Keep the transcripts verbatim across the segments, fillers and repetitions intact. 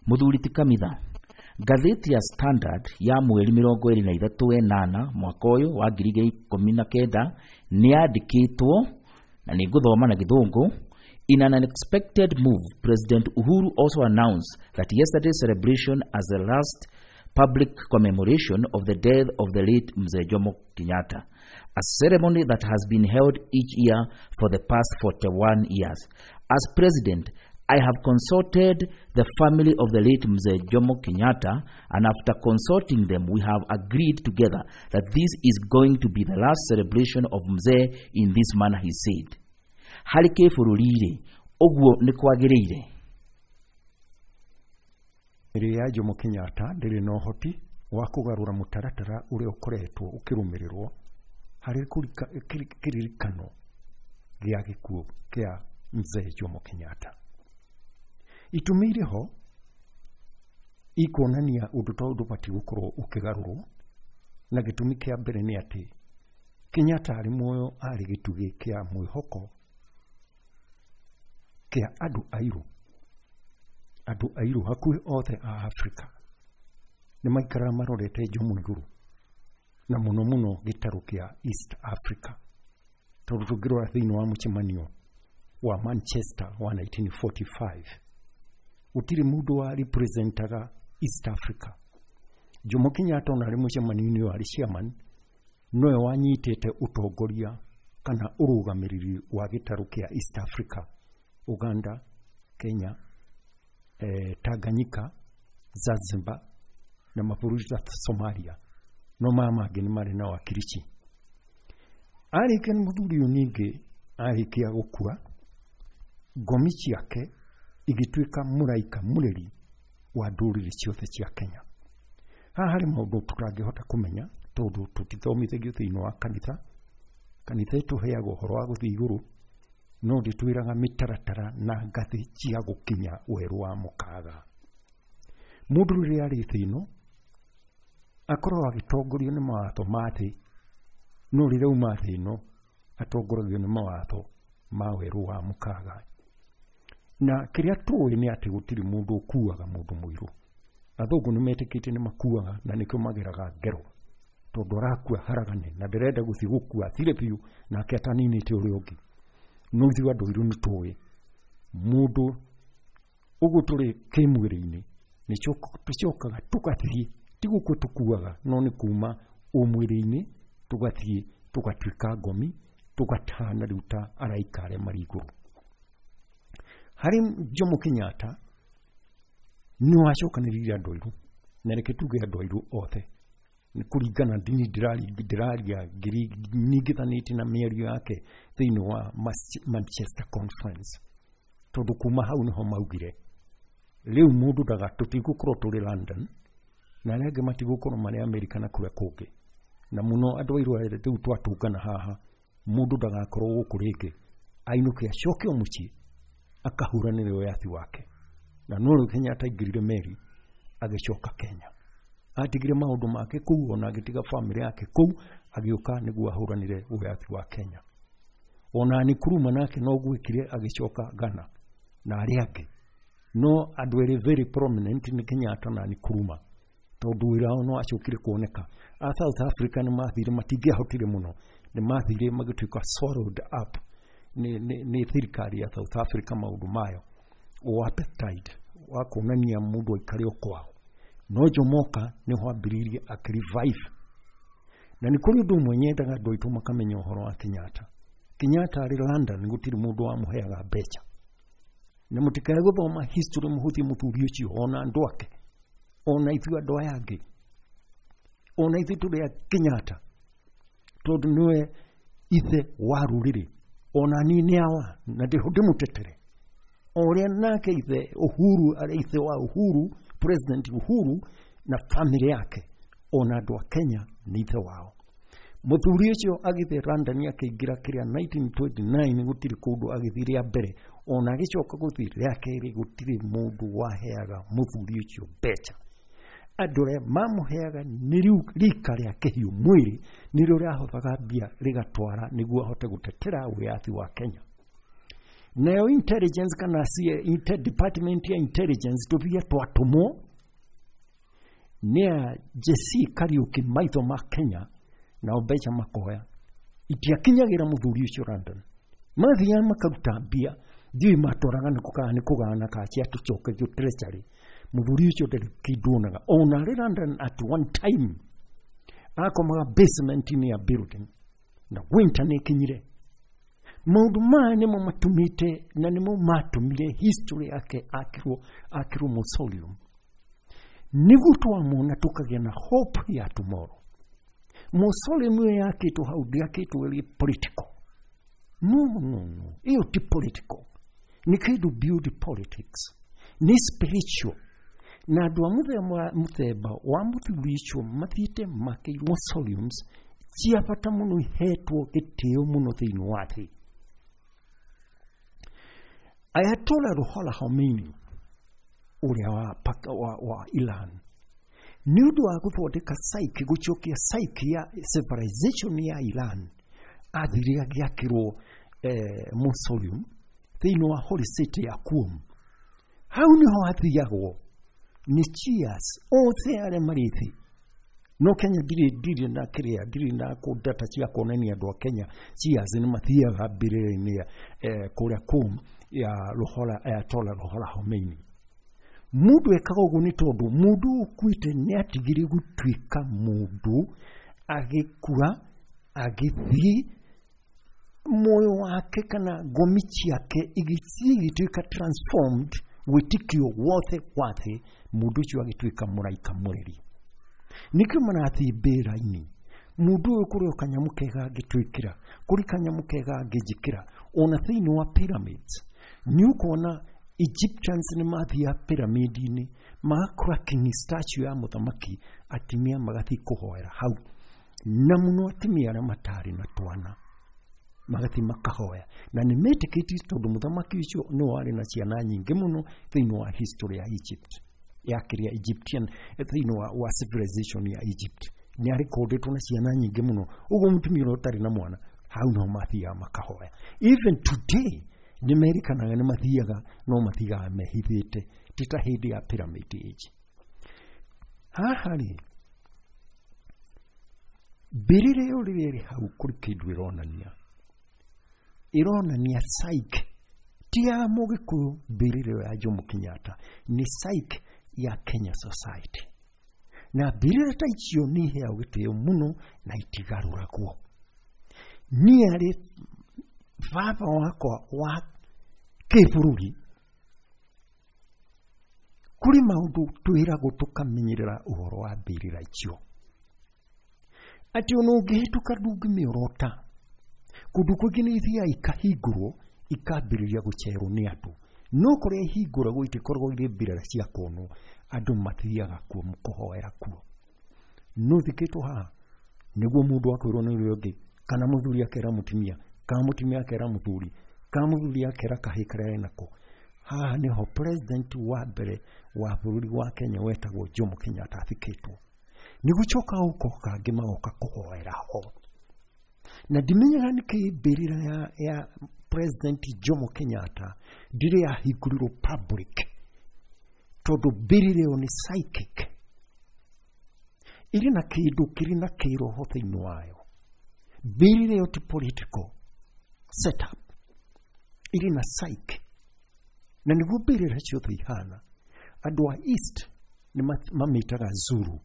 Mũthuri ti Kamitha, ngathĩti ya Standard ya mweri mĩrongo ĩrĩ na ithatũ wenana mwaka ũyũ wa ngiri igĩrĩ ikũmi na kenda nĩ yandĩkĩtwo na nĩ ngũthoma na Gĩthũngũ. In an unexpected move, President Uhuru also announced that yesterday's celebration as the last public commemoration of the death of the late Mzee Jomo Kenyatta, a ceremony that has been held each year for the past forty-one years. As president, I have consulted the family of the late Mzee Jomo Kenyatta, and after consulting them, we have agreed together that this is going to be the last celebration of Mzee in this manner, he said. Harĩ kĩbũrũri-rĩ, ũguo nĩ kwagĩrĩire? Mĩrĩ ya Jomo Kenyatta ndĩrĩ na ũhoti wa kũgarũra mũtaratara ũrĩa ũkoretwo ũkĩrũmĩrĩrwo harĩ kĩririkano gĩa gĩkuũ kĩa Mzee Jomo Kenyatta. Itũmi irĩ ho ikuonania ũndũ ta ũyũ ndũbatiĩ gũkorwo ũkĩgarũrwo, na gĩtũmi kĩa mbere nĩ atĩ Kenyatta arĩ muoyo arĩ gĩtugĩ kĩa mwĩhoko kĩa andũ airũ. Andũ airũ hakuhĩ othe a Afrika nĩ maikaraga marorete Jomo igũrũ, na mũno mũno gĩtarũ kĩa East Africa, tondũ tũngĩrora thĩinĩ wa mũcemanio wa Manchester wa nineteen forty-five gũtirĩ mũndũ wa representaga East Africa. Jomo Kenyatta ona arĩ mũcemanio-inĩ ũyũ arĩ chairman, nowe wanyitĩte ũtongoria kana ũrũgamĩrĩri wa gĩtarũ kĩa East Africa, Uganda, Kenya, eh, Tanganyika, Zanzibar na mabũrũri ta Somalia, no maya mangĩ nĩ marĩ na wakirici. Arĩkia nĩ mũthuri ũyũ ningĩ arĩkia gũkua, ngomi ciake igĩtuĩka mũraika mũreri wa ndũrĩrĩ ciothe cia Kenya. Haha harĩ maũndũ tũtangĩhota kũmenya tondũ tũtithomithagio thĩinĩ wa kanitha. Kanitha ĩtũheaga ũhoro wa gũthiĩ igũrũ, no ndĩtwĩraga mĩtaratara na ngathĩ cia gũkinya werũ wa mũkaga. Mũndũ rĩrĩa arĩ thĩ ĩno akoragwo agĩtongorio nĩ mawatho ma thĩ, no rĩrĩa auma thĩ ĩno atongoragio nĩ mawatho ma werũ wa mũkaga. Na kĩrĩa tũĩ nĩ atĩ gũtirĩ mũndũ ũkuaga mũndũ mũirũ. Athũngũ nĩ metĩkĩtie nĩ makuaga na nĩkĩo mageraga ngero, tondũ arakua haragane na ndĩrenda gũthiĩ gũkua athire biũ nake ataninĩte ũrĩa ũngĩ. No ithuĩ andũ airũ nĩ tũĩ mũndũ ũguo tũrĩ kĩmwĩrĩ-inĩ nĩ tũcokaga tũgathiĩ, ti gũkua tũkuaga, no nĩ kuma ũmwĩrĩ-inĩ tũgathiĩ tũgatuĩka ngomi, tũgatahana rĩu ta araika arĩa marĩ igũrũ. Harĩ Jomo Kenyatta nĩ wacokanĩrĩire andũ airũ, na reke tuge andũ airũ othe nĩ kũringana ndini ndĩraria nyingithanĩtie na mĩario yake thĩinĩ wa Manchester Conference, tondũ kuma hau nĩho maugire rĩu mũndũ ndaga tũtigũkorwo tũrĩ London na arĩa angĩ matigũkorwo marĩ Amerika na kũrĩa kũngĩ, na mũno andũ airũ rĩu twatũngana haha mũndũ ndagakorwo gũkũ rĩngĩ, ainũke acoke o mũciĩ akahũranĩre wĩyathi wake. Na no rĩu Kenyatta aingĩrire meri agĩcoka Kenya, atigire maũndũ make kũu ona agĩtiga famĩlĩ yake kũu, agĩũka nĩguo ahũranĩre wĩyathi wa Kenya. Ona Nkrumah nake no gwĩkire agĩcoka Ghana na arĩa angĩ, no andũ erĩ very prominent nĩ Kenyatta na Nkrumah, tondũ wĩra wao no wacokire kuoneka. A South Africa nĩ mathire, matingĩahotire mũno, nĩ mathire magĩtuĩka swallowed up nĩ nĩ thirikari ya South Africa maũndũ mayo o apartheid wa kuonania mũndũ aikare o kwao. No Jomoka nĩho ambĩrĩirie akĩrevive. Na nĩ kũrĩ ũndũ ũmwe nyendaga andũ aitũ makamenya ũhoro wa Kenyatta. Kenyatta arĩ London gũtirĩ mũndũ wamũheaga mbeca, na mũtikae gũthoma history mũhũthie mũthuri ũcio ona andũ ake, ona ithuĩ andũ aya angĩ, ona ithuĩ tũrĩ a Kenyatta, tondũ nĩwe ithe wa rũrĩrĩ, ona niĩ nĩ awa na ndĩmũtetere. O ũrĩa nake ithe Uhuru arĩ ithe wa Uhuru, President Uhuru na family yake, ona andũ a Kenya nĩ ithe wao. Mũthuri ũcio agĩthiĩ London akĩingĩra kĩrĩa nineteen twenty-nine gũtirĩ kũndũ agĩthiĩ rĩa mbere, ona agĩcoka gũthiĩ rĩa kerĩ gũtirĩ mũndũ waheaga mũthuri ũcio mbeca. Andũ arĩa mamũheaga nĩ rika rĩa kĩhiũ mwĩrĩ nĩrĩo rĩahothaga mbia rĩgatwara nĩguo ahote gũtetera wĩyathi wa Kenya. Nayo intelligence kana C I A department ya intelligence tũbia twatũmwo nĩ a J C Kariuki, maitho ma Kenya, nao mbeca makoya itiakinyagira mũthuri ũcio London. Mathiaga makaruta mbia, ndiũĩ matwaraga nĩ kũgaa nĩ kũgana kana ciatũcokagio treasury. Mũthuri ũcio ndarĩ kĩndũ onaga ona arĩ London. At one time akomaga basement-inĩ ya building na winter nĩ ĩkinyire. Maũndũ maya nĩmo matũmĩte na nĩmo matũmire history yake akĩrwo akĩrwo mausoleum, nĩguo twamona tũkagĩa na hope ya tomorrow. Mausoleum ĩyo yakĩtwo hau ndĩakĩtwo ĩrĩ political. No, no, no, ĩyo ti political, nĩ kĩndũ build politics, nĩ spiritual. Na andũ a mũthemba mũthemba wa mũthuri ũcio mathiĩte makĩirwo mausoleums cia bata mũno, ihetwo gĩtĩo mũno thĩinĩ wa thĩ. Ayatollah Ruhollah Khomeini ũrĩa wa, wa, wa, wa Iran, nĩ ũndũ wa gũthondeka psyche, gũcokia psyche ya civilization ya Iran, athire agĩakĩrwo eh, mausoleum thĩinĩ wa holy city ya Qom. Hau nĩho hathiagwo nĩ Shias othe arĩa marĩ thĩ. No Kenya ndirĩ ndirĩ na kĩrĩa, ndirĩ na kũ data cia kuonania andũ a Kenya Shias nĩ mathiaga mbĩrĩra-inĩ eh, kũrĩa Qom ya Ruhollah, Ayatollah Ruhollah Khomeini. Mũndũ ekaga ũguo nĩ tondũ mũndũ ũkuĩte nĩ atigire gũtuĩka mũndũ, agĩkua agĩthiĩ muoyo wake kana ngomi ciake igĩthiĩ igĩtuĩka transformed, wĩtĩkio wothe wa thĩ, mũndũ ũcio agĩtuĩka mũraika mũreri. Nĩkĩo marathiĩ mbĩrĩra-inĩ. Mũndũ ũyũ kũrĩ o kanyamũ kega angĩtwĩkĩra, kũrĩ kanyamũ kega angĩnjĩkĩra. Ona thĩinĩ wa pyramids nĩ ũkuona Egyptians nĩ mathiaga pyramid-inĩ, magakora king statue ya mũthamaki, atumia magathiĩ kũhoera hau, na mũno atumia arĩa matarĩ na twana magathiĩ makahoya, na nĩ metĩkĩtie tondũ mũthamaki ũcio nĩ warĩ na ciana nyingĩ mũno thĩinĩ wa history ya Egypt, ya kĩrĩa Egyptian, thĩinĩ wa, wa civilization ya Egypt nĩ arekondetwo na ciana nyingĩ mũno. Ũguo mũtumia ũrĩa ũtarĩ na mwana, hau no mathiaga makahoya. Even today nĩ merikanaga nĩ mathiaga, no mathiaga mehithĩte, ti ta hĩndĩ ya pyramid age. Haha rĩ, mbĩrĩra ĩyo rĩrĩa ĩrĩ hau, kũrĩ kĩndũ ĩronania, ĩronania psyche ti ya Mũgĩkũyũ. Mbĩrĩra ĩyo ya Jomo Kenyatta nĩ psyche ya Kenya society, na mbĩrĩra ta icio nĩ iheagwo gĩtĩo mũno na itigarũragwo. Niĩ arĩ baba wakwa wa kĩbũrũri, kũrĩ maũndũ twĩragwo tũkamenyerera ũhoro wa mbĩrĩra icio, atĩ ona ũngĩhĩtũka ndũngĩmĩorota. Kũndũ kũngĩ nĩ ithiaga ikahingũrwo, ikambĩrĩria gũcerwo nĩ andũ, no kũrĩa ihingũragwo itikoragwo irĩ mbĩrĩra cia kuonwo, andũ mathiaga kuo kũhoera kuo. No thikĩtwo haha nĩguo mũndũ akwĩrwo nĩ ũrĩa ũngĩ, kana mũthuri akera mũtumia, kana mũtumia akera mũthuri, kana mũthuri akera kahĩĩ karĩa enako, haha nĩho president wa mbere wa bũrũri wa Kenya wetagwo Jomo Kenyatta athikĩtwo. Nĩ gũcoka gũka kangĩ magoka kũhoera ho, na ndimenyaga nĩkĩ mbĩrĩra ya, ya President Jomo Kenyatta ndirĩ yahingũrirwo public, tondũ mbĩrĩra ĩyo nĩ psychic, ĩrĩ na kĩndũ kĩrĩ na kĩroho thĩinĩ wayo. Mbĩrĩra ĩyo ti political setup, ĩrĩ na psyche, na nĩguo mbĩrĩra ciothe ihana. Andũ a East nĩ mamĩtaga Zuru,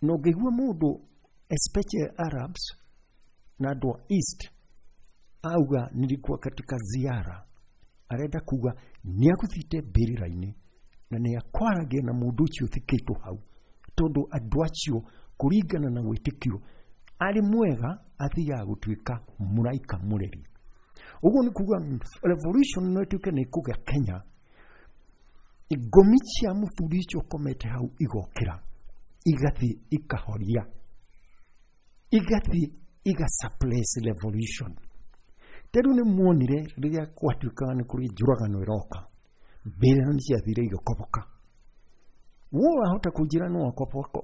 na ũngĩigua mũndũ, especially Arabs na andũ a East, auga nilikuwa katika ziara, arenda kuga nĩ agũthiĩte mbĩrĩra-inĩ na nĩ akwaragia na mũndũ ũcio ũthikĩtwo hau, tondũ andũ acio kũringana na wĩtĩkio arĩ mwega athiaga gũtuĩka mũraika mũreri. Ũguo nĩ kuga revolution no ĩtuĩke nĩ ĩkũgĩa Kenya, ngomi cia mũthuri ũcio ũkomete hau igokĩra, igathiĩ ikahoria, igathiĩ iga suppress revolution. Ta rĩu nĩ muonire rĩrĩa gwatuĩkaga nĩ kũrĩ njũragano ĩroka, mbĩrĩra nĩ ciathire igĩkoboka. Wo wahota kũnjĩra no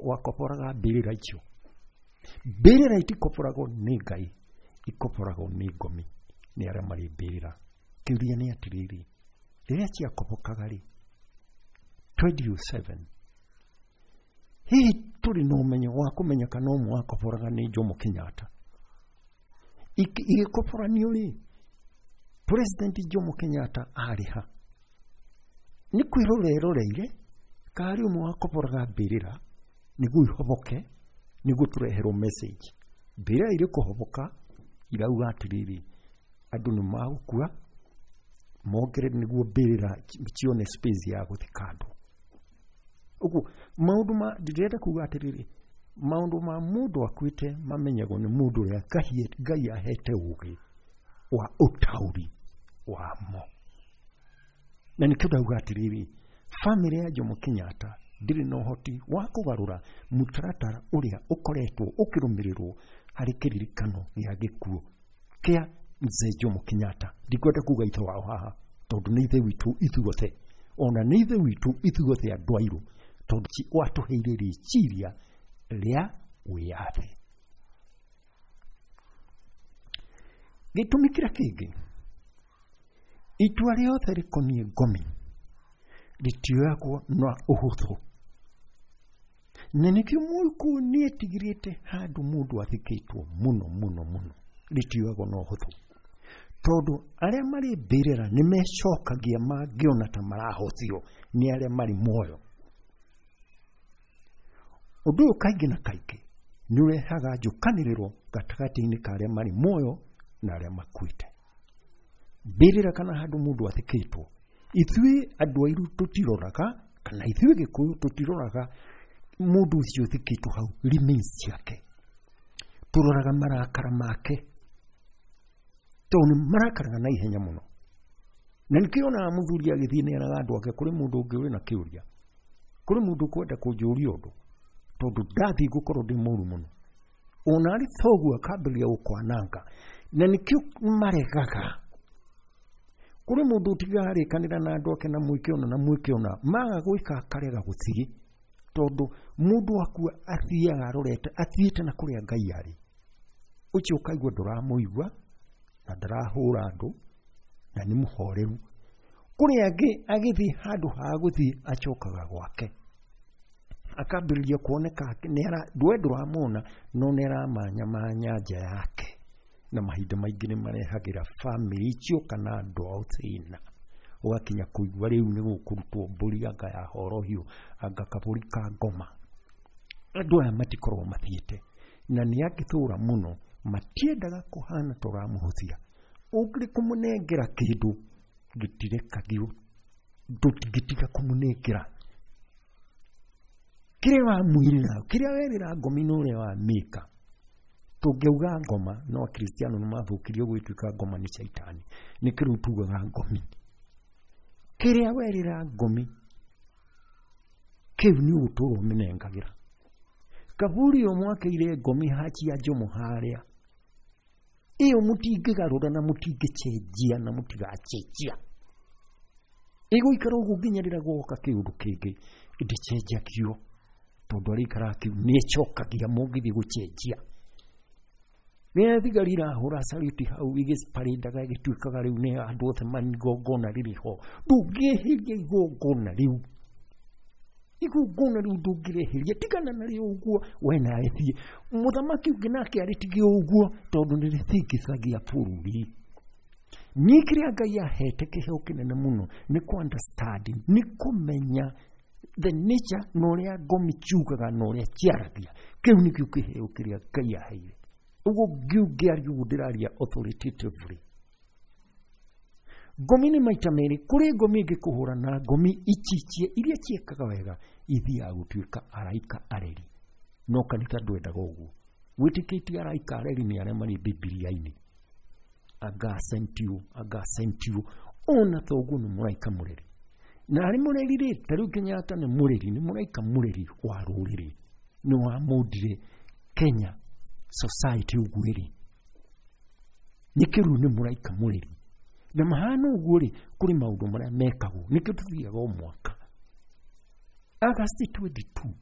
wakoboraga mbĩrĩra icio? Mbĩrĩra itikoboragwo nĩ Ngai, ikoboragwo nĩ ngomi, nĩ arĩa marĩ mbĩrĩra. Kĩũria nĩ atĩrĩrĩ, rĩrĩa ciakobokaga rĩ twenty oh seven, hihi tũrĩ na ũmenyo wa kũmenya kana ũmwe wakoboraga nĩ Jomo Kenyatta? Igĩkoboranio rĩ, President Jomo Kenyatta arĩ ha? Nĩ kwĩrora eroreire karĩ ũmwe wakoboraga mbĩrĩra nĩguo ihoboke, nĩguo tũreherwo message. Mbĩrĩra irĩ kũhoboka irauga atĩrĩrĩ, andũ nĩ magũkua mongerere nĩguo mbĩrĩra cione space ya gũthika andũ. Ũguo maũndũ ma ndĩrenda kuga atĩrĩrĩ, maũndũ ma mũndũ akuĩte mamenyagwo nĩ mũndũ ũrĩa Ngai ahete ũũgĩ wa ũtaũri wamo. Na nĩkĩo ndauga atĩrĩrĩ, bamĩrĩ ya Jomo Kenyatta ndĩrĩ na ũhoti wa kũgarũra mũtaratara ũrĩa ũkoretwo ũkĩrũmĩrĩrwo harĩ kĩririkano gĩa gĩkuũ kĩa Mzee Jomo Kenyatta. Ndikwenda kuga ithe wao haha, tondũ nĩ ithe witũ ithuothe, ona nĩ ithe witũ ithuothe andũ airũ, tondũ watũheire rĩciria rĩa wĩyathi. Gĩtũmi kĩrĩa kĩngĩ, itua rĩothe rĩkoniĩ ngomi rĩtioyagwo na ũhũthũ, na nĩkĩo Mũgĩkũyũ nĩetigĩrĩte handũ mũndũ athikĩtwo mũno mũno mũno, rĩtioyagwo na ũhũthũ, tondũ arĩa marĩ mbĩrĩra nĩ mecokagia mangĩona ta marahũthio nĩ arĩa marĩ muoyo. Ũndũ ũyũ kaingĩ na kaingĩ nĩ ũrehaga njũkanĩrĩro gatagatĩ-inĩ ka arĩa marĩ muoyo na arĩa makuĩte. Mbĩrĩra kana handũ mũndũ athikĩtwo, ithuĩ andũ airũ tũtiroraga, kana ithuĩ Gĩkũyũ tũtiroraga mũndũ ũcio ũthikĩtwo hau remains ciake, tũroraga marakara make, tondũ nĩ marakaraga na ihenya mũno. Na nĩkĩo onaga mũthuri agĩthiĩ nĩeraga andũ ake, kũrĩ mũndũ ũngĩ ũrĩ na kĩũria, kũrĩ mũndũ ũkwenda kũnjũria ũndũ, tondũ ndathiĩ ngũkorwo ndĩ mũru mũno. Ona arĩ thoguo akambĩrĩria gũkwananga, na nĩkĩo maregaga. Kũrĩ mũndũ ũtigaga arĩkanĩra na andũ ake na mwĩke ũna na mwĩke ũna, maga gwĩka akarega gũthiĩ, tondũ mũndũ akua athiaga arorete, athiĩte na kũrĩa Ngai arĩ. Ũcio ũkaigua ndũramũigua na ndarahũra andũ na nĩ mũhoreru. Kũrĩ angĩ agĩthiĩ handũ ha gũthiĩ acokaga gwake, akambĩrĩria kuoneka we ndũramwona no nĩ aramanyamanya nja yake, na mahinda maingĩ nĩ marehagĩra bamĩrĩ icio kana andũ ao thĩna. Ũgakinya kũigua rĩu nĩ gũkũrutwo mbũri anga ya horohio, anga kabũri ka ngoma. Andũ aya matikoragwo mathiĩte, na nĩ angĩtũra mũno matiendaga kũhana ta ũramũhũthia. Ũngĩrĩ kũmũnengera kĩndũ gĩtirekagio, ndũngĩtiga kũmũnengera kĩrĩa wamwĩrĩra, kĩrĩa werĩra ngomi na ũrĩa wamĩka. Tũngĩauga ngoma, no Akristiano nĩ mathũkirio gwĩtuĩka ngoma nĩ caitani, nĩkĩo rĩu tugaga ngomi. Kĩrĩa werĩra ngomi kĩu nĩ ũgũtũra ũmĩnengagĩra. Kaburi ĩyo mwakĩire ngomi hachi ya Jomo harĩa, ĩyo mũtingĩgarũra na mũtingĩcenjia na mũtigacenjia, ĩgũikara ũguo nginya rĩrĩa gũgoka kĩũndũ kĩngĩ ĩndĩcenjagio, tondũ arĩikara kĩu nĩĩcokagia mũngĩthiĩ gũcenjia. Rĩrĩa thigari irahũra saluti hau igĩparĩndaga ĩgĩtuĩkaga rĩu nĩ andũ othe marĩ igongona rĩrĩ ho, ndũngĩeheria igongona rĩu, igongona rĩu ndũngĩrĩeheria, tigana narĩo ũguo we nawe thiĩ. Mũthamaki ũngĩ nake arĩtige ũguo, tondũ nĩrĩthingithagia bũrũri. Niĩ kĩrĩa Ngai ahete kĩheo kĩnene mũno nĩ kũ understand, nĩ kũmenya the nature na ũrĩa ngomi ciugaga na ũrĩa ciaragia. Kĩu nĩkĩo kĩheo kĩrĩa Ngai aheire. Ũguo ngĩaria ũguo ndĩraria authoritatively. Ngomi nĩ maita merĩ, kũrĩ ngomi ĩngĩkũhũra na ngomi ici iria ciĩkaga wega ithiaga gũtuĩka araika areri. No kanitha ndwendaga ũguo, wĩtĩkĩtie araika areri nĩ arĩa marĩ Bibilia-inĩ, anga sent you, anga sent you, ona thoguo nĩ mũraika mũreri. Na arĩ mũreri rĩ, ta rĩu Kenyatta nĩ mũreri, nĩ mũraika mũreri wa rũrĩrĩ, nĩ wamũndire Kenya society ũguo ĩrĩ, nĩkĩo rĩu nĩ mũraika mũreri. Na mahana ũguo rĩ, kũrĩ maũndũ marĩa mekagwo, nĩkĩo tũthiaga o mwaka August twenty-two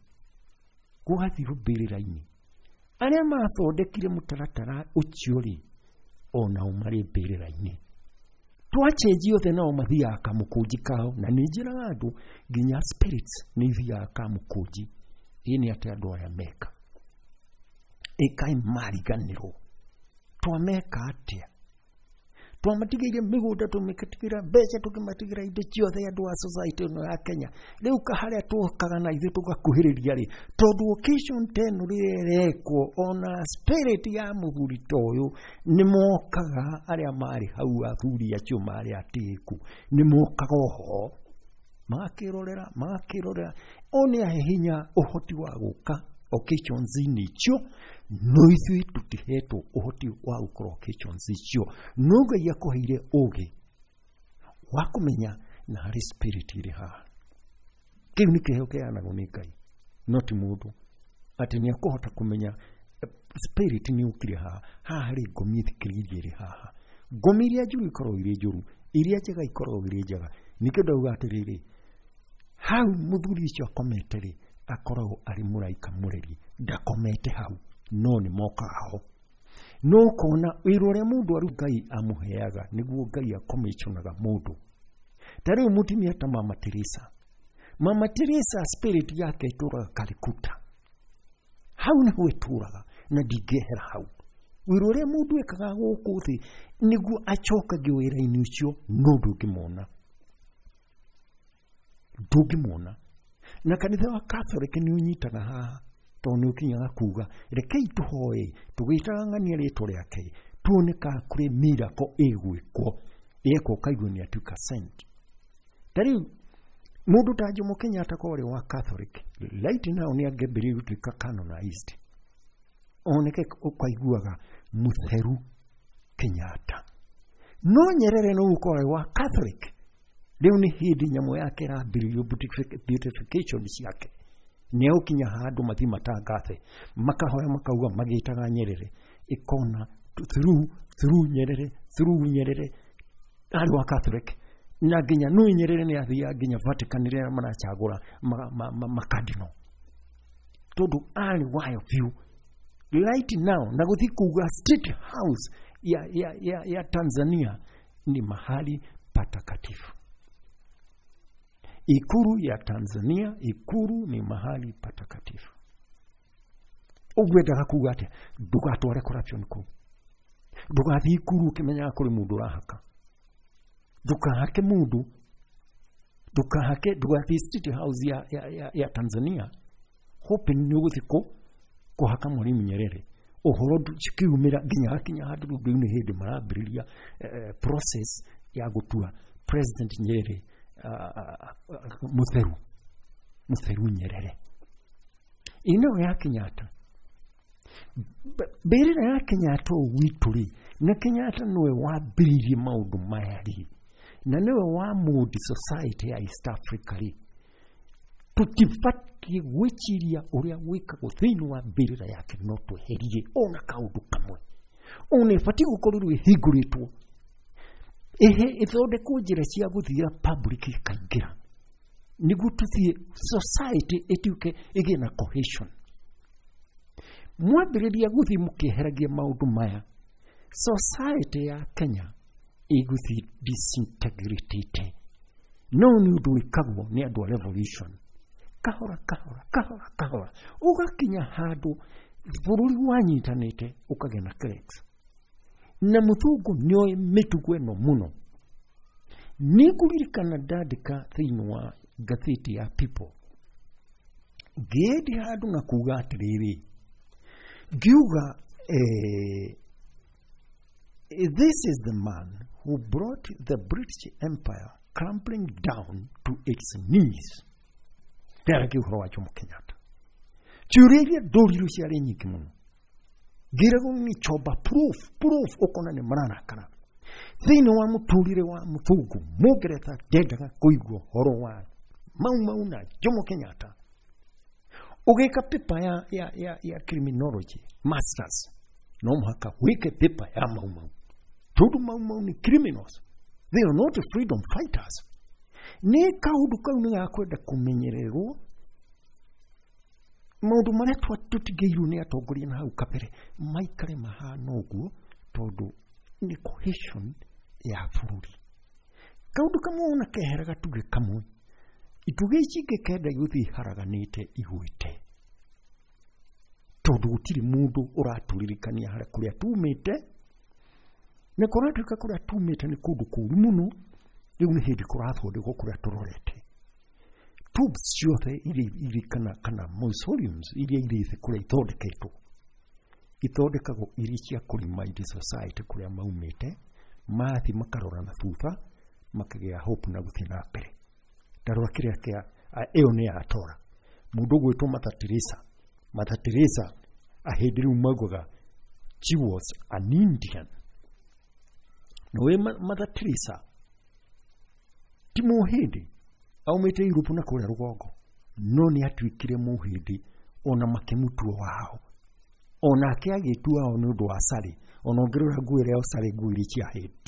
gũgathirwo mbĩrĩra-inĩ. Arĩa mathondekire mũtaratara ũcio rĩ, onao marĩ mbĩrĩra-inĩ, Twachenji othe nao mathiaga kamũkũnji kao, na nĩ njĩraga andũ nginya spirits nĩ ithiaga kamũkũnji. Ĩ nĩ atĩ andũ aya meka ĩkaĩ mariganĩrwo, twameka atĩa? Twamatigĩire mĩgũnda, tũmĩtigĩra mbeca, tũkĩmatigĩra indo ciothe andũ a society ĩno ya Kenya. Rĩu harĩa tũkaga na ithuĩ tũgakuhĩrĩria rĩ, tondũ occasion ta ĩno rĩrĩa ĩrekwo, ona spirit ya mũthuri ta ũyũ nĩ mokaga, arĩa marĩ hau athuri acio marĩ atĩĩku nĩ mokaga oho magakĩrorera magakĩrorera o nĩ ahe hinya ũhoti wa gũka occasions-inĩ icio, no ithuĩ tũtihetwo ũhoti wa gũkorwo occasions icio. No Ngai akũheire ũgĩ wa kũmenya na harĩ spirit ĩrĩ haha. Kĩu nĩ kĩheo kĩheanagwo nĩ Ngai, no ti mũndũ atĩ nĩ akũhota kũmenya spirit nĩ ũkire haha. Haha harĩ ngomi ĩthikĩrĩirie ĩrĩ haha. Ngomi iria njũru ikoragwo irĩ njũru, iria njega ikoragwo irĩ njega. Nĩkĩo ndauga atĩrĩrĩ, hau mũthuri ũcio akomete rĩ, akoragwo arĩ mũraika mũreri, ndakomete hau, no nĩ mokaga ho. No ũkona wĩra ũrĩa mũndũ aru Ngai amũheaga nĩguo Ngai akomiconaga mũndũ. Ta rĩu mũtumia ta Mama Teresa, Mama Teresa spirit yake ĩtũraga Calcutta, hau nĩho ĩtũraga na ndingĩehera hau. Wĩra ũrĩa mũndũ ekaga gũkũ thĩ nĩguo acokagio wĩra-inĩ ũcio, no ndũngĩmona, ndũngĩmona. Na kanitha wa Catholic nĩ ũnyitaga haha, tondũ nĩ ũkinyaga kuga rekei tũhoe tũgĩtaga ng'ania rĩtwa rĩake, tuone kana kũrĩ miracle ĩgwĩkwo, yekwo ũkaigua nĩ atuĩka saint. Ta rĩu mũndũ ta Jomo Kenyatta korwo arĩ wa Catholic right now nĩ angĩambĩrĩria gũtuĩka canonized, oneke ũkaiguaga mũtheru Kenyatta. No Nyerere no gũkorwo arĩ wa Catholic, rĩu nĩ hĩndĩ nyamũ yake ĩrambĩrĩrio beautification ciake, nĩ egũkinya handũ mathiĩ matangathe, makahoya makauga magĩtaga Nyerere, ĩkona through through Nyerere through Nyerere arĩ wa Catholic. Na nginya nũ Nyerere nĩ athiaga nginya Vatican rĩrĩa maracagũra makadino, tondũ arĩ wayo biũ. Right now na gũthiĩ kuga State House ya, ya, ya, ya Tanzania ni mahali patakatifu. Ikuru ya Tanzania, ikuru ni mahali patakatifu. Ũgwendaga kuga atĩa? Ndũgatware corruption kũu, ndũgathiĩ ikuru ũkĩmenyaga kũrĩ mũndũ ũrahaka, ndũkahake mũndũ, ndũkahake, ndũgathiĩ State House ya, ya, ya, ya Tanzania hoping nĩ ũgũthiĩ kũ kũhaka Mwalimu Nyerere. Ũhoro cikiumĩra nginya hakinya handũ rĩu nĩ hĩndĩ marambĩrĩria eh, process ya gũtua President Nyerere uh, uh, mũtheru mũtheru Nyerere. Ino ya Kenyatta, mbĩrĩra ya Kenyatta ũũ gwitũ rĩ, na Kenyatta nĩwe wambĩrĩirie maũndũ maya rĩ, na nĩwe wa mold society ya East Africa rĩ, tũtibatiĩ gwĩciria ũrĩa gwĩkagwo thĩinĩ wa mbĩrĩra yake, no tweherie ona kaũndũ kamwe. Ona ĩbatiĩ gũkorwo ĩhingũrĩtwo, ĩhe ĩthondekwo njĩra cia gũthiĩra public ĩkaingĩra, nĩguo tũthiĩ society ĩtuĩke ĩgĩe na cohesion. Mwambĩrĩria gũthiĩ mũkĩeheragia maũndũ maya, society ya Kenya ĩgũthiĩ disintegratĩte. No nĩ ũndũ wĩkagwo nĩ andũ a revolution, kahora kahora kahora kahora, ũgakinya handũ bũrũri wanyitanĩte ũkagĩa na cracks. Na mũthũngũ nĩoĩ mĩtugo ĩno mũno. Nĩngũririkana ndandĩka thĩinĩ wa ngathĩti ya People, ngĩendia handũ na kuga atĩrĩrĩ, ngiuga eh, this is the man who brought the British Empire crumbling down to its knees. Ndaragia ũhoro wa Jomo Kenyatta. Ciũria iria ndũrirwo ciarĩ nyingĩ mũno, ngĩragwo nĩ chomba proof proof, ũkona nĩ mararakara. Thĩinĩ wa mũtũrĩre wa mũthũngũ mũngeretha ndendaga kũigua ũhoro wa Mau Mau na Jomo Kenyatta. Ũgĩka paper ya, ya, ya, ya criminology masters, no mũhaka wĩke paper ya Mau Mau, tondũ Mau Mau nĩ criminals, they are not freedom fighters. Nĩ kaũndũ kau nĩ gakwenda kũmenyererwo. Maũndũ marĩa tũtigĩirwo nĩ atongoria na hau kabere maikare mahana ũguo, tondũ nĩ cohesion ya bũrũri. Kaundu kamwe ona kehera gatuge kamwe ituge ici ingĩ kenda igũthiĩ iharaganĩte igwĩte tondũ gũtirĩ mũndũ ũratũririkania harĩa kũrĩa tumĩte na kũratuĩka kũrĩa tumĩte nĩ kũndũ kũũru mũno. Rĩu nĩ hĩndĩ kũrathondekwo kũrĩa tũrorete. Tubes ciothe iria irĩ kana kana mausoleums iria irĩ thĩ kũrĩa ithondeketwo ithondekagwo irĩ cia kũ-remind society kũrĩa maumĩte, mathiĩ makarora na thutha makagĩa hope na gũthiĩ na mbere. Ndarora kĩrĩa kĩa ĩyo nĩ ya Tora mũndũ ũgwĩtwo Mother Teresa. Mother Teresa ahĩndĩ rĩu maugaga she was an Indian. Nĩũĩ Mother Teresa ti mũhĩndĩ, aumĩte Europe na kũrĩa rũgongo, no nĩ atuĩkire mũhĩndĩ ona makĩmũtua wao, onake agĩtua wao nĩ ũndũ wa sari. Ona ũngĩrora nguo ĩrĩa ya sari, nguo iria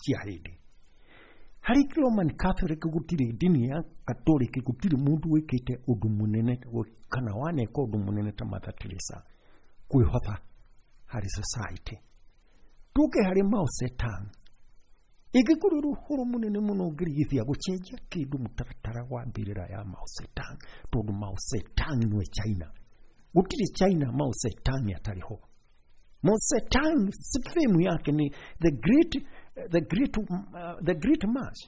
cia hĩndĩ. Harĩ Roman Catholic gũtirĩ ndini ya Catholic gũtirĩ mũndũ wĩkĩte ũndũ mũnene kana waneka ũndũ mũnene ta Mother Teresa kwĩhotha harĩ society. Tũke harĩ Mao Zedong, ĩngĩkorwo ũhoro mũnene mũno ũngĩrigithia gũcenjia kĩndũ mũtaratara wa mbĩrĩra ya Mao Zedong, tondũ Mao Zedong nĩwe China. Gũtirĩ China Mao Zedong atarĩ ho. Mao Zedong fame yake ni the great the great uh, the great march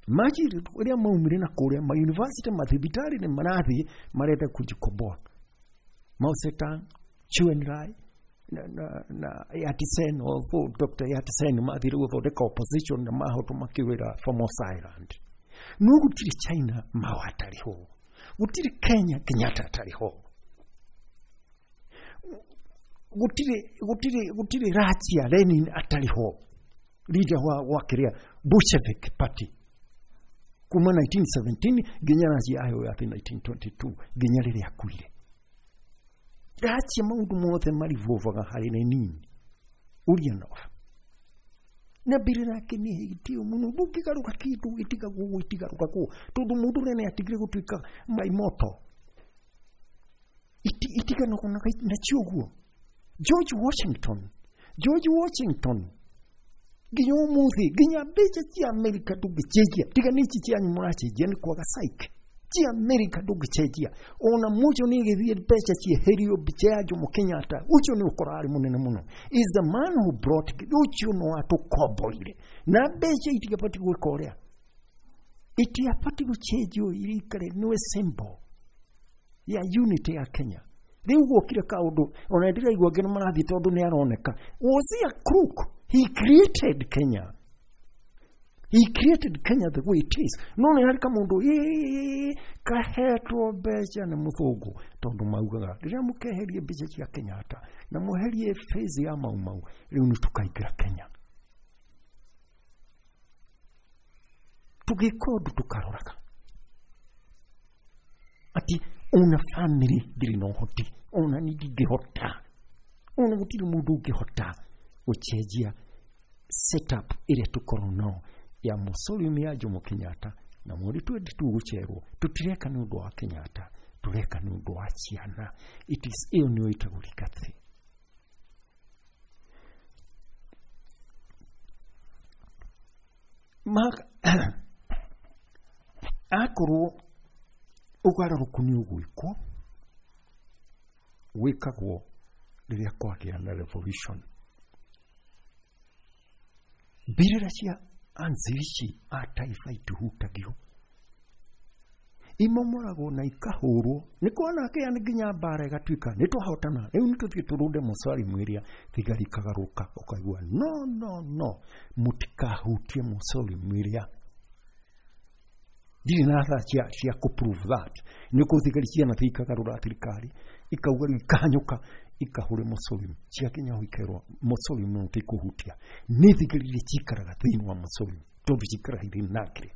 march ĩrĩa maumire na kũrĩa ma university mathibitarĩ nĩ marathiĩ marenda kujikomboa. Mao Zedong, Chou Enlai na na na Yat-sen, Doctor Yat-sen mathire gũthondeka opposition na mahotwo makĩwĩra Formosa Island. No gũtirĩ China Mao atarĩ ho, gũtirĩ Kenya Kenyatta atarĩ ho, gũtirĩ gũtirĩ gũtirĩ Russia Lenin atarĩ ho, leader wa wa kĩrĩa Bolshevik Party kuma nineteen seventeen nginya Russia aheo yathi nineteen twenty-two nginya rĩrĩa akuire. Russia maũndũ mothe marivovaga harĩ Lenin Ulyanov na mbĩrĩra yake nĩ hĩtio mũno, ndũngĩgarũra kĩndũ gĩtigagwo ũguo itigarũragwo tondũ mũndũ ũrĩa nĩ atigire gũtuĩka maimoto itiganagwo nacio ũguo. George Washington George Washington nginya ũmũthĩ nginya mbeca cia Amerika ndũngĩcenjia, tiga nĩ ici cianyu mũracenjia nĩ kwaga psyche cia Amerika ndũngĩcenjia. Ona mũcio nĩ ĩgĩthiĩ mbeca cieherio mbica ya Jomo Kenyatta, ũcio nĩ ũkora arĩ mũnene mũno, is the man who brought ũcio no atũkomborire na mbeca itigabatiĩ gwĩka ũrĩa itiabatiĩ gũcenjio irikare nĩwe symbol ya unity ya Kenya. Rĩu gwokire kaũndũ ona ndĩraigua angĩ nĩ marathiĩ tondũ nĩ aroneka. Was he a crook? He created Kenya. He created Kenya the way it is. No nĩ harĩ kamũndũ ĩĩ kahetwo mbeca nĩ mũthũngũ tondũ maugaga rĩrĩa mũkeherie mbeca cia Kenyatta na mweherie phase ya Mau Mau rĩu nĩ tũkaingĩra Kenya. Tũgĩka ũndũ tũkaroraga ati ona family ndĩrĩ na ũhoti, ona niĩ ndingĩhota, ona gũtirĩ mũndũ ũngĩhota gũcenjia setup ĩrĩa tũkorwo nao ya mausoleum ya Jomo Kenyatta na mweri twendi tũgũcerwo. Tũtireka nĩ ũndũ wa Kenyatta, tũreka nĩ ũndũ wa ciana. It is ĩyo nĩyo ĩtagwo legacy. Akorwo ũgarũrũku nĩ ũgwĩkwo, wĩkagwo rĩrĩa kwagĩa na revolution. Mbĩrĩra cia anzilishi a taifa itihutagio, imomoragwo na ikahũrwo nĩ kuona kĩa nginya mbara ĩgatuĩka nĩ twahotana rĩu nĩ tũthiĩ tũrũnde mausoleum ĩrĩa thigari ikagarũka ũkaigua no no no mũtikahutie mausoleum ĩrĩa. Ndirĩ na thaa cia cia kũ prove that nĩ kũ thigari cianathiĩ ikagarũra thirikari ikauga rĩu ikahanyũka ikahũre mausoleum ciakinya ho ikerwo mausoleum no tĩkũhutia. Nĩ thigari iria cikaraga thĩinĩ wa mausoleum tondũ cikaraga irĩ nakĩrĩ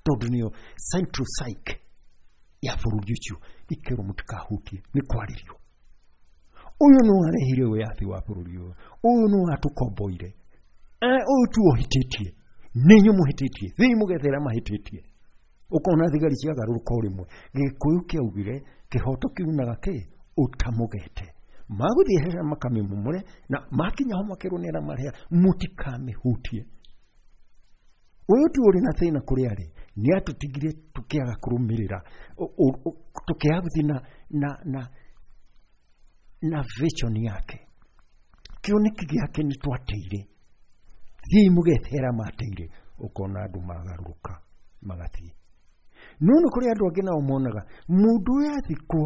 tondũ nĩyo central psyche ya bũrũri ũcio ikerwo mũtikahutie nĩ kwarĩrio. Ũyũ nĩ warehire wĩyathi wa bũrũri ũyũ, ũyũ nĩ watũkomboire, ũyũ tu ũhĩtĩtie, nĩ inyuĩ mũhĩtĩtie, thiĩi mũgethere mahĩtĩtie. Ũkona thigari ciagarũrũka o rĩmwe. Gĩkũyũ kĩaugire kĩhoto kiunaga kĩ ũtamũgete. Magũthiĩ hera makamĩmomore na makinya ho makerwo nĩ arĩa mareha mũtikamĩhutie. Ũyũ tu ũrĩ na thĩna kũrĩa arĩ nĩ atũtigire tũkĩaga kũrũmĩrĩra, tũkĩaga gũthiĩ na na na na vision yake. Kĩoneki gĩake nĩ twateire. Thiĩi mũgethe arĩa mateire, ũkona andũ magarũrũka magathiĩ. No nĩ kũrĩ andũ angĩ nao monaga mũndũ ũyũ athikwo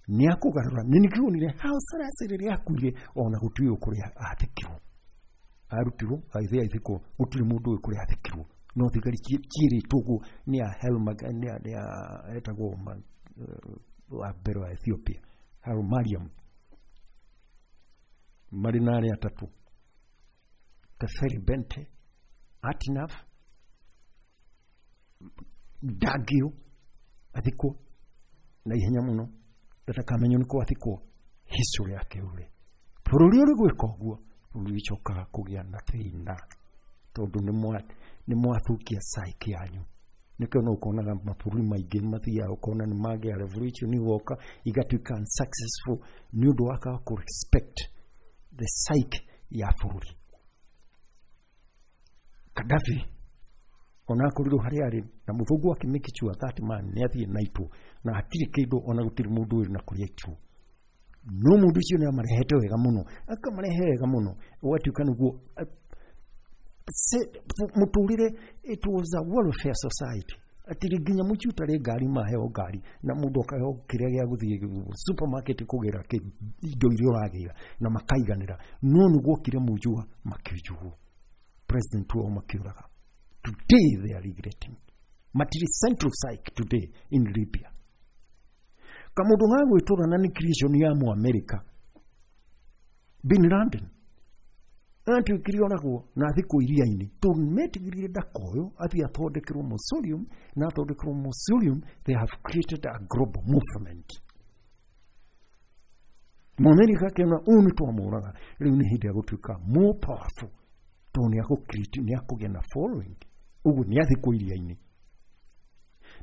nĩ akũgarũra. Nĩ nĩkĩonire Haile Selassie rĩrĩa akuire ona gũtiũĩ kũrĩa athikirwo. Arutirwo agĩthiĩ agĩthikwo, gũtirĩ mũndũ ũĩ kũrĩa athikirwo. No thigari ciĩrĩtwo ũguo nĩ a Helma, nĩ a nĩ a etagwo wa mbere wa Ethiopia, Haile Mariam, marĩ na arĩa atatũ, Teferi Bente, Atinaf, Dagio athikwo na ihenya mũno ndatakamenywo nĩ kũ athikwo. History yake ũrĩ bũrũri ũrĩ gwĩka ũguo, bũrũri ũcokaga kũgĩa na thĩna tondũ nĩ mwathukia psyche yanyu. Nĩkĩo no ũkonaga mabũrũri maingĩ mathiaga ũkona nĩ magĩa revolution igoka igatuĩka unsuccessful nĩ ũndũ wa kwaga kũ respect the psyche ya bũrũri. Gaddafi ona akorirwo harĩa arĩ na mũthũngũ akĩ make sure that man nĩ athiĩ naitwo na hatirĩ kĩndũ ona gũtirĩ mũndũ ũrĩ na kũrĩa aitirwo. No mũndũ ũcio nĩ amarehete wega mũno, akamarehe wega mũno, ũgatuĩka nĩguo mũtũrĩre. It was a welfare society atĩ nginya mũciĩ ũtarĩ ngari maheo ngari na mũndũ akaheo kĩrĩa gĩa gũthiĩ supermarket kũgĩra indo iria ũragĩra na makaiganĩra. No nĩ guokire mũnjũa makĩnjugwo president wao makĩũraga. Today they are regretting. Matirĩ central psyche today in Libya. Kamũndũ ga gwĩtũra na nĩ creation ya Mũamerika Bin Laden atuĩkire oragwo na athikwo iria-inĩ tondũ metigĩrire ndakoywo athiĩ athondekerwo mausoleum, na athondekerwo mausoleum they have created a global movement. Mũamerika akĩona ũyũ nĩ twamũraga, rĩu nĩ hĩndĩ ya gũtuĩka more powerful tondũ nĩ akũ nĩ akũgĩa na following. Ũguo nĩ athikwo iria-inĩ.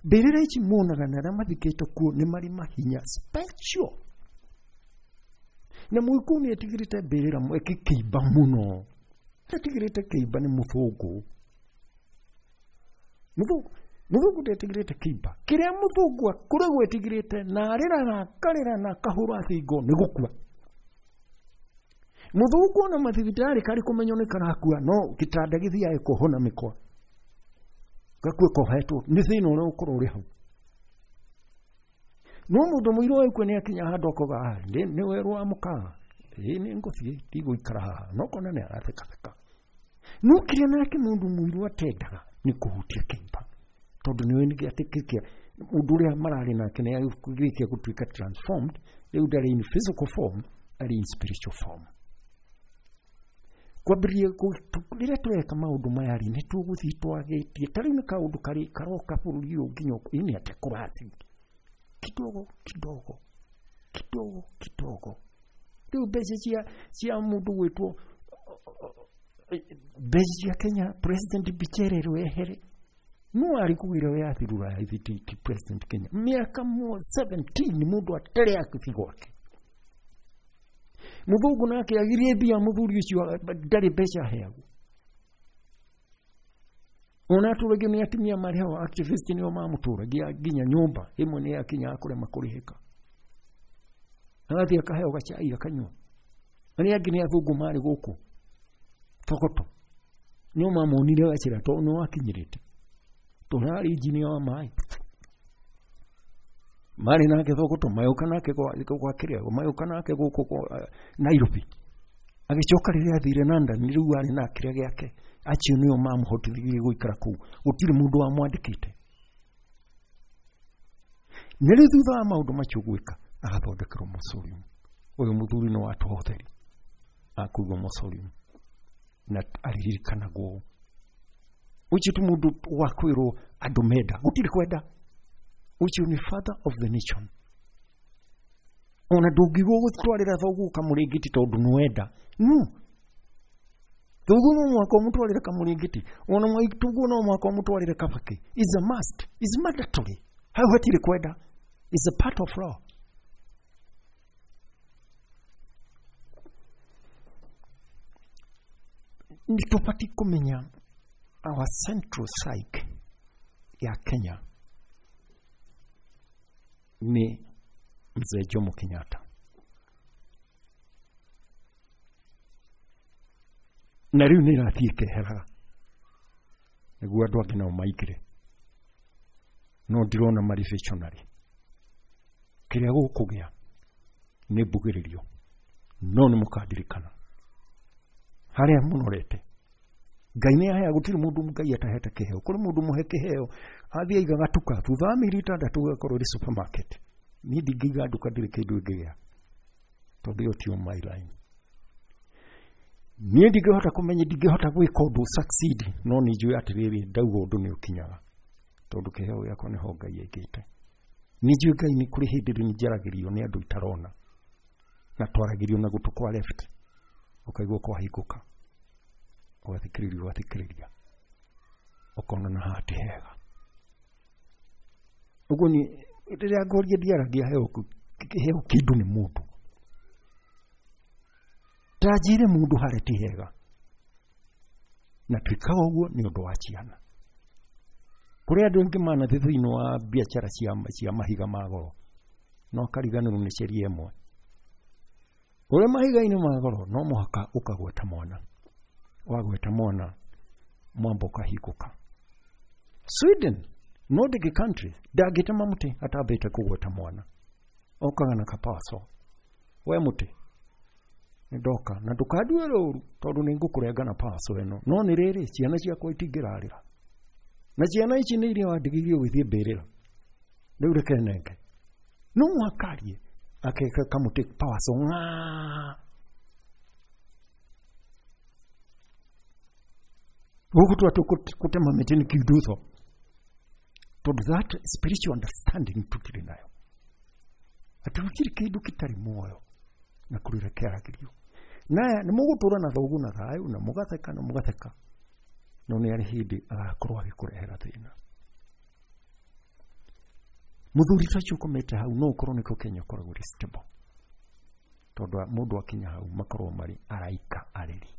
Mbĩrĩra ici muonaga na arĩa mathikĩtwo kuo nĩ marĩ mahinya special. Na mũgĩkũyũ nĩ etigĩrĩte mbĩrĩra kĩimba mũno. Etigĩrĩte kĩimba nĩ mũthũngũ. Mũthũngũ mũthũngũ ndetigĩrĩte kĩimba. Kĩrĩa mũthũngũ akoragwo etigĩrĩte na arĩraga akarĩra na akahũra thingo nĩ gũkua. Mũthũngũ ona mathibitarĩ karĩ kũmenywo nĩ karakua no gĩtanda gĩthiaga gĩkohwo na mĩkwa. Gakue kohetwo nĩ thĩna ũrĩa ũkorwo ũrĩ hau. No mũndũ mũirũ aikue nĩ akinya handũ akoga nĩ werũ wa mũkaa, ĩĩ nĩ ngũthiĩ ndigũikara haha, no kona nĩ arathekatheka. No kĩrĩa nake mũndũ mũirũ atendaga nĩ kũhutia kĩimba tondũ nĩwe nĩ gĩatĩkĩkia mũndũ ũrĩa mararĩ nake nĩ agĩrĩkia gũtuĩka transformed, rĩu ndarĩ in physical form, arĩ in spiritual form. Kwambĩrĩria rĩrĩa tũreka maũndũ maya rĩ nĩ tũgũthiĩ twagĩtie ta rĩu nĩ kaũndũ karĩ karoka bũrũri ũyũ nginya ĩnĩ atĩa kũrathiĩ kidogo kidogo kidogo kidogo. Rĩu mbeca cia cia mũndũ gwĩtwo mbeca cia Kenya President Bicherero ehere no arĩ kũgĩra wĩyathi rũraya ithi ti President Kenya mĩaka seventeen mũndũ atarĩ akĩthi gwake. Mũthũngũ nake agirie mbia mũthuri ũcio ndarĩ mbeca aheagwo. Ona atũragio nĩ atumia marĩ hau activist nĩo mamũtũragia nginya nyũmba ĩmwe nĩ yakinya kũrema kũrĩhĩka. Agathiĩ akaheo gacai akanyua. Arĩa angĩ nĩ athũngũ marĩ gũkũ Thogoto nĩo mamuonire gacĩra tondũ nĩ wakinyĩrĩte tondũ arĩ injinia wa maĩ. Marĩ nake Thogoto magĩũka nake gwa kĩrĩa magĩũka nake gũkũ Nairobi. Agĩcoka rĩrĩa athire London rĩu arĩ na kĩrĩa gĩake acio nĩo mamũhotithirie gũikara kũu gũtirĩ mũndũ wamwandĩkĩte. Na rĩu thutha wa maũndũ macio gwĩka agathondekerwo mausoleum. Ũyũ mũthuri nĩ wa tũhotheri akũigwo mausoleum na aririkanagwo. Ũcio ti mũndũ wa kwĩrwo andũ menda, gũtirĩ kwenda. Ũcio nĩ father of the nation. Ona ndũngigwo gũtwarĩra thoguo kamũrĩngĩti tondũ nĩwenda. No. Thoguo no mũhaka ũmũtwarĩre kamũrĩngĩti. Ona maitũguo no mũhaka ũmũtwarĩre kabakĩ. Is a must. Is mandatory. Hau hatirĩ kwenda. Is a part of law. Nĩ tũbatiĩ kũmenya Our central psyche ya Kenya nĩ Mzee Jomo Kenyatta. Na rĩu nĩ ĩrathiĩ ĩkeheraga nĩguo andũ angĩ nao maingĩre, no ndirona marĩ visionary. Kĩrĩa gũkũgĩa nĩ mbugĩrĩrio, no nĩ mũkandirikana harĩa mũnorete. Ngai nĩ ahea, gũtirĩ mũndũ Ngai atahete kĩheo. Kũrĩ mũndũ mũhe kĩheo athiĩ aiga gatuka, thutha wa mĩeri ĩtandatũ gagakorwo ĩrĩ supermarket. Niĩ ndingĩiga nduka ndirĩ kĩndũ ĩngĩgĩa, tondũ ĩyo tiyo my line. Niĩ ndingĩhota kũmenya, ndingĩhota gwĩka ũndũ succeed, no nĩ njũĩ atĩrĩrĩ, ndauga ũndũ nĩ ũkinyaga, tondũ kĩheo gĩakwa nĩho Ngai aigĩte. Nĩ njũĩ Ngai nĩ kũrĩ hĩndĩ rĩ njaragĩrio nĩ andũ itarona, na twaragĩrio na gũtũ kwa left, ũkaigua kwahingũka, ũgathikĩrĩria ũgathikĩrĩria, ũkona na haha ti hega. Ũguo ni rĩrĩa ngwaria ndiaragia heo heo kĩndũ nĩ mũndũ, ta njĩre mũndũ harĩa ti hega, na twĩkaga ũguo nĩ ũndũ wa ciana. Kũrĩ andũ aingĩ manathiĩ thĩinĩ wa biacara cia, cia mahiga ma goro, no akariganĩrwo nĩ sheria ĩmwe. Ũrĩ mahiga-inĩ ma goro no mũhaka ũkagweta mwana, wagweta mwana mwamba ũkahingũka. Sweden, Nordic country, ndangĩtema mũtĩ atambĩte kũgweta mwana, okaga na kapaco, we mũtĩ nĩ ndoka na ndũkandue rũru tondũ nĩ ngũkũrenga na paco ĩno, no nĩ rĩrĩ ciana ciakwa itingĩrarĩra, na ciana ici nĩ iria wandigĩirie ũgĩthiĩ mbĩrĩra, rĩu reke nenge. No mũhaka arie akeka kamũtĩ paco ng'aa. Gũkũ twa kũtema mĩtĩ nĩ kiundutho, tondũ that spiritual understanding tũtirĩ nayo, atĩ gũtirĩ kĩndũ gĩtarĩ muoyo na kũrĩra kĩaragĩrio. Naya nĩ mũgũtũra na thoguo na thayũ na mũgatheka na mũgatheka, no nĩ arĩ hĩndĩ agakorwo agĩkũrehera thĩna. Mũthuri ta ũcio ũkomete hau no ũkorwo nĩkĩo Kenya ĩkoragwo ĩrĩ stable, tondũ mũndũ akinya hau makorwo marĩ araika areri,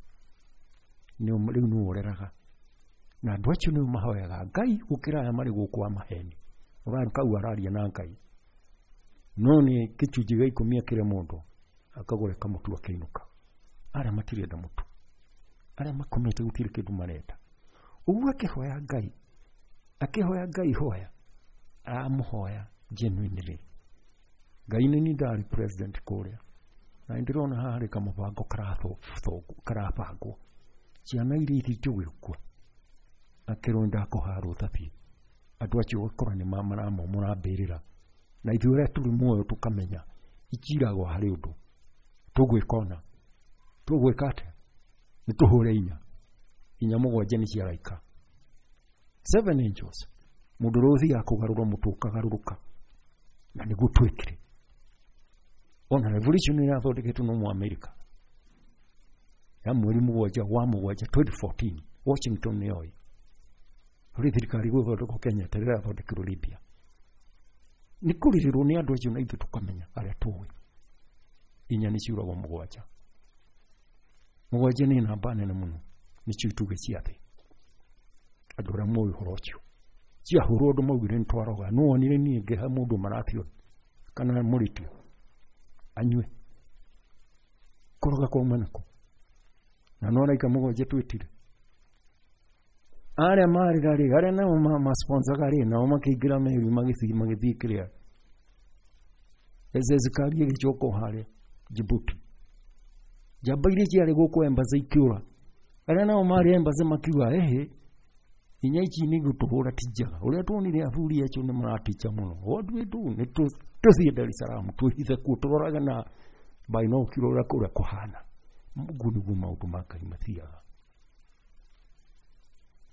rĩu nĩwe ũreraga, na andũ acio nĩo mahoyaga Ngai gũkĩra aya marĩ gũkũ a maheni. Ũrarĩ araria na Ngai, no nĩ gĩcunjĩ gĩa ikũmi akĩre mũndũ akagũre kamũtu akĩinũka. Arĩa matirenda mũtu, arĩa makomete gũtirĩ kĩndũ marenda. Ũguo akĩhoya Ngai, akĩhoya Ngai hoya, aramũhoya genuinely. Ngai nĩ niĩ ndarĩ president kũrĩa, na nĩndĩrona haha harĩ kamũbango karabangwo, ciana iria ithiĩte gũgĩkua, akĩrwo ndakũha rũtha biũ. Andũ acio ũgakora nĩ maramomora mbĩrĩra, na ithuĩ arĩa tũrĩ muoyo tũkamenya itiragwo harĩ ũndũ tũgwĩka, ona tũgwĩka atĩa? Nĩ tũhũre inya inya mũgwanja nĩ cia araika, seven angels. Mũndũ ũrĩa ũthiaga kũgarũra mũtwe ũkagarũrũka, na nĩguo twĩkire. Ona revolution ĩrathondeketwo no Mũamerika ya mweri mũgwanja wa mũgwanja twenty fourteen, Washington nĩ yoĩ ũrĩa thirikari gũthondekwo Kenya ta rĩrĩa yathondekirwo Libya. Nĩ kũrĩrĩrwo nĩ andũ acio na ithuĩ tũkamenya arĩa tũĩ inya nĩ ciuragwo mũgwanja. Mũgwanja nĩ namba nene mũno, nĩcio itugĩ cia thĩ. Andũ arĩa moĩ ũhoro ũcio ciahũrwo andũ maugire nĩ twaroga. No wonire niĩ ngĩhe mũndũ marathio kana mũrĩtio anyue, kũroga kwauma nako, na no araika mũgwanja twĩtire. Arĩa marĩra rĩ, arĩa nao masponsaga rĩ, nao makĩingĩra meri magĩthiĩ magĩthiĩ kĩrĩa Ezezikari ĩgĩcoka o harĩa Djibouti. Njamba iria ciarĩ gũkũ embassy ikĩũra, arĩa nao marĩ embassy makiuga ehe, inya ici nĩ gũtũhũra ti njega. Ũrĩa tuonire athuri acio nĩ maraticha mũno. What do we do? Nĩ tũthiĩ Dar es Salaam twĩhithe kuo tũrorage na binocular ũrĩa kũrĩa kũhana. Ũguo nĩguo maũndũ ma Ngai mathiaga.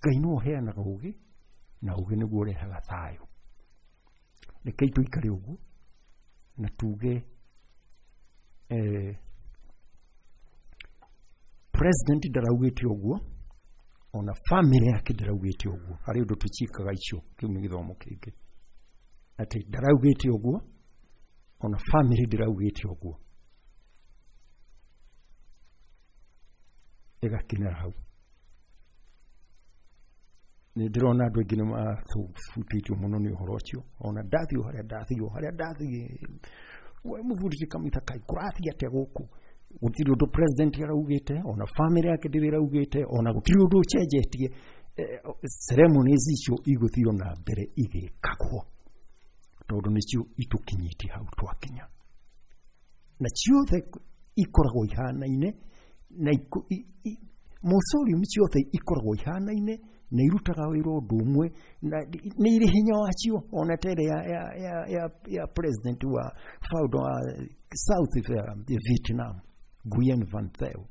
Ngai nĩwe ũheanaga ũgĩ, na ũgĩ nĩguo ũrehaga thayũ. Rekei tũikare ũguo na tuge eh, president ndaraugĩte ũguo, ona family yake ndaraugĩte ũguo. Harĩ ũndũ tũciĩkaga icio, kĩu nĩ gĩthomo kĩngĩ, atĩ ndaraugĩte ũguo, ona family ndĩraugĩte ũguo, ĩgakinyĩra hau. Nĩ ndĩrona andũ aingĩ nĩ mahutĩtio mũno nĩ ũhoro ũcio. Ona ndathiĩ o harĩa ndathiĩ o harĩa ndathiĩ, we mũbundithia Kamitha kaĩ kũrathiĩ atĩa gũkũ? Gũtirĩ ũndũ president araugĩte, ona family yake ndĩrĩ ĩraugĩte, ona gũtirĩ ũndũ ũcenjetie. Eh, ceremonies icio igũthiĩ na mbere igĩkagwo tondũ nĩcio itũkinyĩtie hau twakinya, na ciothe ikoragwo ihanaine na iku- i- i- mausoleum ciothe ikoragwo ihanaine na irutaga wĩra ũndũ ũmwe na nĩ irĩ hinya wacio, ona ta ĩrĩa ya, ya, ya, ya, ya president wa founder wa South Vietnam, Nguyen Van Thieu,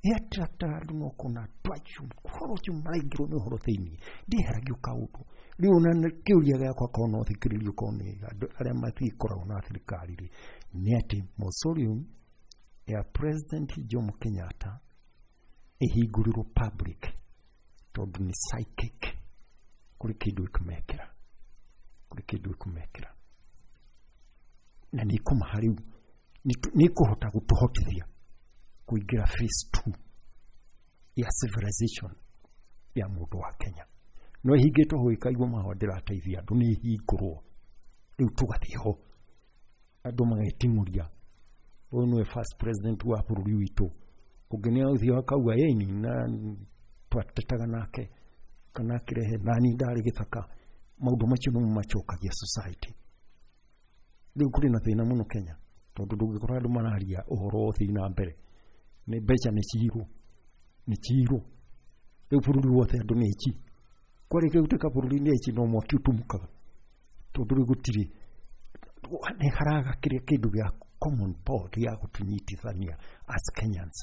yattractaga andũ no kona andũ acio ũhoro ũcio maraingĩrwo nĩ ũhoro thĩinĩ ndĩheragio kaũndũ. Rĩu ona kĩũria gĩakwa korwo no thikĩrĩrio korwo nĩ andũ arĩa matikoragwo na thirikari rĩ, nĩ atĩ mausoleum ya President Jomo Kenyatta ĩhingũrĩrwo public, tondũ nĩ psychic, kũrĩ kĩndũ ĩkũmekĩra, kũrĩ kĩndũ ĩkũmekĩra na nĩ ĩkũmaha rĩu nĩ ĩkũhota gũtũhotithia kũingĩra phase two ya civilization ya mũndũ wa Kenya. No ĩhingĩtwo hau ĩkaigwo mahũa ndĩrateithia andũ, nĩ ĩhingũrwo rĩu tũgathiĩ ho andũ mageting'ũria ũyũ nĩwe first president wa bũrũri witũ, ũngĩ nĩ agũthiĩ akauga ĩni na twatetaga nake kana akĩrehe nani ndarĩ gĩthaka. Maũndũ macio nĩmo macokagia society. Rĩu kũrĩ na thĩna mũno Kenya tondũ ndũngĩkora andũ mararia ũhoro wa ũthii na mbere, nĩ mbeca nĩ ciirwo, nĩ ciirwo rĩu bũrũri wothe andũ nĩ aici. Kwarĩkia gũtuĩka bũrũri nĩ aici no mwaki ũtumũkaga tondũ rĩu gũtirĩ nĩ haraga kĩrĩa kĩndũ gĩa common board ya gũtũnyitithania as Kenyans.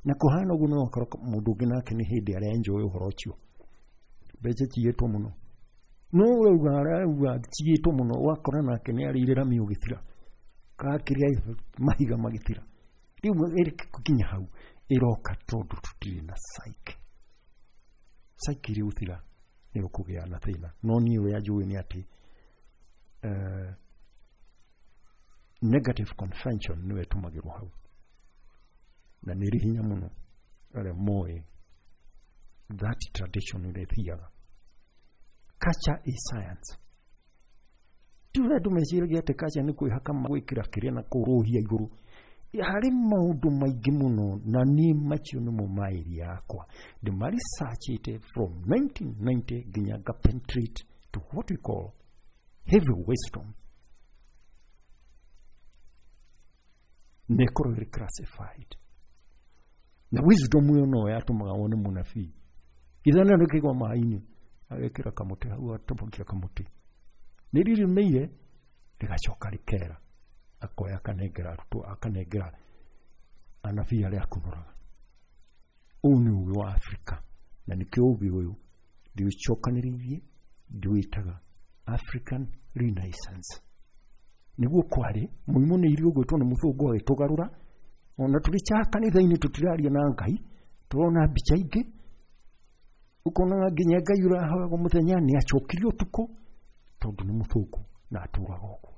Na kũhana ũguo no ũkora mũndũ ũngĩ nake nĩ hĩndĩ arenjoy ũhoro ũcio, mbeca ciyĩtwo mũno, no ũrauga arauga ciyĩtwo mũno, ũgakora nake nĩ arĩire rami ũgĩthira kakĩrĩa mahiga magĩthira. Rĩu ĩkinya hau ĩroka tondũ tũtirĩ na psyche. Psyche ĩrĩ gũthira nĩ ũkũgĩa na thĩna. No niĩ ũrĩa njũĩ nĩ atĩ uh, negative convention nĩyo ĩtũmagĩrwo hau na nĩ ĩrĩ hinya mũno arĩa moĩ that tradition ũrĩa ĩthiaga. Culture is science. Ti ũrĩa andũ meciragia atĩ culture nĩ kwĩhaka gwĩkĩra kĩrĩa na kũrũhia igũrũ. Harĩ maũndũ maingĩ mũno na niĩ macio nĩmo maĩri yakwa ndĩmaresearchĩte from nineteen ninety nginya nga penetrate to what we call heavy wisdom, na ĩkorwo ĩrĩ classified. Na wisdom ĩyo no yatũmaga wone mũnabii ithana rĩkĩgwa maĩ-inĩ agekĩra kamũtĩ hau atobokia kamũtĩ nĩ rĩrĩmĩire rĩgacoka rĩkera akoya akanengera arutwo akanengera anabii arĩa akunũraga. Ũyũ nĩ ũgĩ wa Afrika na nĩkĩo ũgĩ ũyũ ndĩũcokanĩrĩirie ndĩwĩtaga African Renaissance. Nĩguo kwarĩ mũrimũ nĩ irio ũgwĩtwo nĩ mũthũngũ agĩtũgarũra, ona tũrĩ cha kanitha-inĩ tũtiraria na Ngai, tũrona mbica ingĩ ũkona nginya Ngai ũrahoyagwo mũthenya nĩ acokirio ũtukũ tondũ nĩ mũthũngũ na atũraga ũguo.